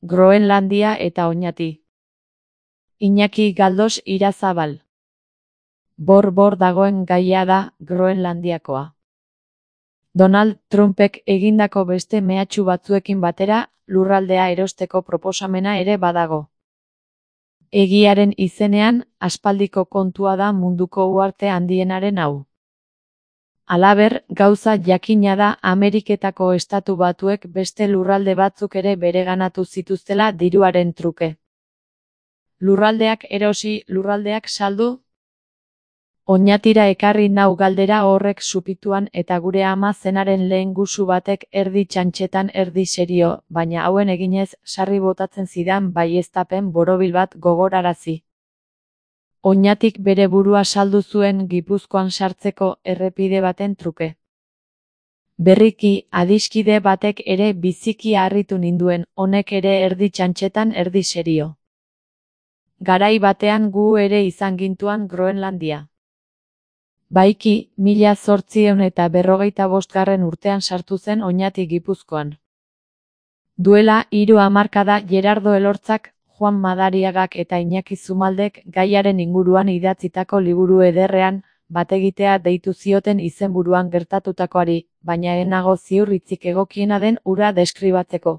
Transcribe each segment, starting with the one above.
Groenlandia eta Oñati. Iñaki Galdos Irazabal. Bor dagoen gaia da Groenlandiakoa. Donald Trumpek egindako beste mehatxu batzuekin batera, lurraldea erosteko proposamena ere badago. Egiaren izenean, aspaldiko kontua da munduko uharte handienaren hau. Halaber, gauza jakina da Ameriketako Estatu Batuek beste lurralde batzuk ere bereganatu zituztela diruaren truke. Lurraldeak erosi, lurraldeak saldu? Oñatira ekarri nau galdera horrek supituan eta gure ama zenaren lehen gusu batek erdi txantxetan erdi serio, baina hauen eginez sarri botatzen zidan baieztapen borobil bat gogorarazi. Oñatik bere burua saldu zuen Gipuzkoan sartzeko errepide baten truke. Berriki, adiskide batek ere biziki harritu ninduen, honek ere erdi txantxetan erdi serio. Garai batean gu ere izan gintuan Groenlandia. Baiki, 1855 urtean sartu zen Oñati Gipuzkoan. Duela 3 hamarkada Gerardo Elortzak, Juan Madariagak eta Iñaki Zumaldek gaiaren inguruan idatzitako liburu ederrean, bategitea deitu zioten izenburuan gertatutakoari, baina ez nago ziur hitzik egokiena den hura deskribatzeko.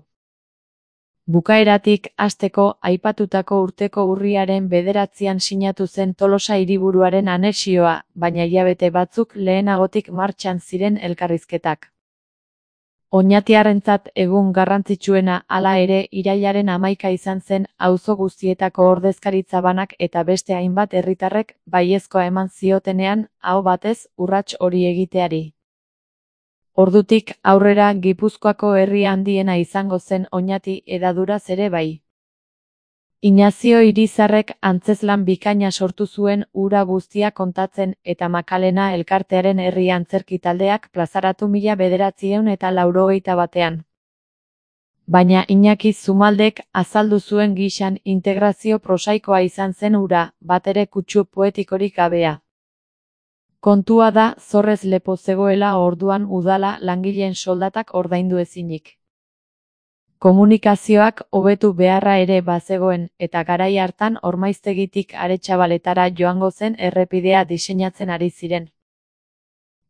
Bukaeratik hasteko aipatutako urteko urriaren 9an sinatu zen Tolosa hiriburuaren anexioa, baina hilabete batzuk lehenagotik martxan ziren elkarrizketak. Oñatiarrentzat egun garrantzitsuena hala ere irailaren 11 izan zen auzo guztietako ordezkaritza banak eta beste hainbat herritarrek baiezkoa eman ziotenean aho batez urrats hori egiteari. Ordutik aurrera Gipuzkoako herri handiena izango zen Oñati hedaduraz ere bai. Inazio Irizarrek antzezlan bikaina sortu zuen hura guztia kontatzen eta Makalena elkartearen herri antzerki taldeak plazaratu 1981. Baina Iñaki Zumaldek azaldu zuen gixan integrazio prosaikoa izan zen hura, batere kutsu poetikorik gabea. Kontua da zorrez lepo zegoela orduan udala langileen soldatak ordaindu ezinik. Komunikazioak hobetu beharra ere bazegoen eta garai hartan Ormaiztegitik Aretxabaletara joango zen errepidea diseinatzen ari ziren.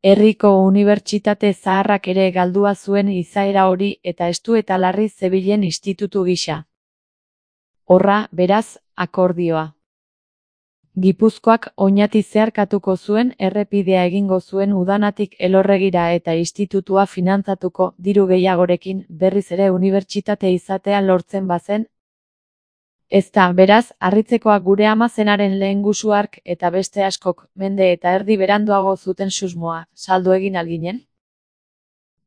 Herriko unibertsitate zaharrak ere galdua zuen izaera hori eta estu eta larri zebilen institutu gisa. Horra, beraz, akordioa. Gipuzkoak Oñati zeharkatuko zuen errepidea egingo zuen udanatik Elorregira eta institutua finantzatuko diru gehiagorekin berriz ere unibertsitate izatea lortzen bazen. Ezta, beraz, harritzekoa gure ama zenaren lehen gusu hark eta beste askok mende eta erdi beranduago zuten susmoa, saldu egin alginen?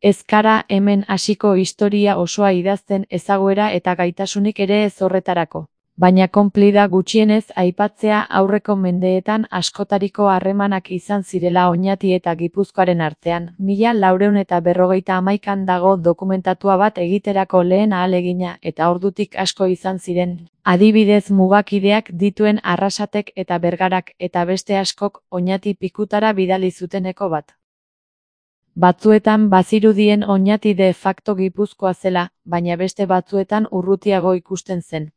Ez gara hemen hasiko historia osoa idazten ezaguera eta gaitasunik ere ez horretarako. Baina konplida gutxienez aipatzea aurreko mendeetan askotariko harremanak izan zirela Oñati eta Gipuzkoaren artean, 1451an dago dokumentatua bat egiterako lehen ahalegina eta ordutik asko izan ziren. Adibidez mugakideak dituen Arrasatek eta Bergarak eta beste askok Oñati pikutara bidali zuteneko bat. Batzuetan bazirudien Oñati de facto Gipuzkoa zela, baina beste batzuetan urrutiago ikusten zen.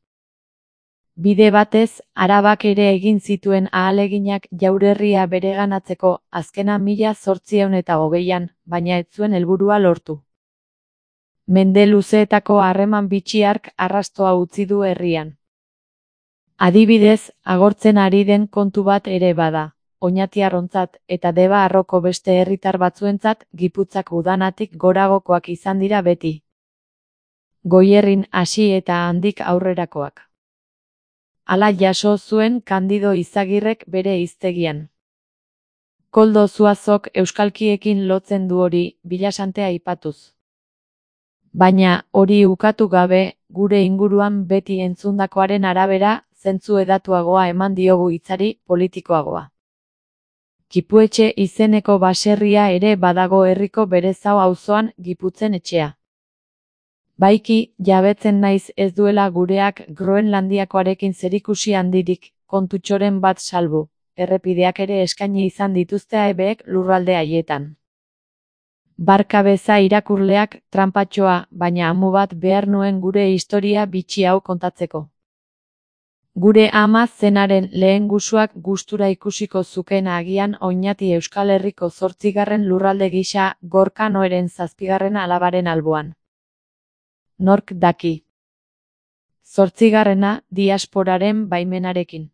Bide batez, Arabak ere egin zituen ahaleginak jaurerria bereganatzeko, azkena 1820an, baina ez zuen helburua lortu. Mende luzeetako harreman bitxi hark arrastoa utzi du herrian. Adibidez, agortzen ari den kontu bat ere bada, Oñatiarrontzat eta Deba Arroko beste herritar batzuentzat Gipuzkoak udanatik goragokoak izan dira beti. Goierrin hasi eta handik aurrerakoak. Hala jaso zuen Kandido Izagirrek bere hiztegian. Koldo Zuazok euskalkiekin lotzen du hori, Bilasante aipatuz. Baina, hori ukatu gabe, gure inguruan beti entzundakoaren arabera, zentzu edatuagoa eman diogu hitzari, politikoagoa. Kipuetxe izeneko baserria ere badago herriko Berezao auzoan, Giputzen etxea. Baiki, jabetzen naiz ez duela gureak Groenlandiakoarekin zerikusi handirik, kontutxoren bat salbu, errepideak ere eskaini izan dituzte AEBek lurralde haietan. Barka beza irakurleak, tranpatxoa, baina amu bat behar nuen gure historia bitxi hau kontatzeko. Gure ama zenaren lehen gusuak gustura ikusiko zuken agian Oñati Euskal Herriko 8. lurralde gisa, Gorka Noeren 7. alabaren alboan. Nork daki. 8. diasporaren baimenarekin.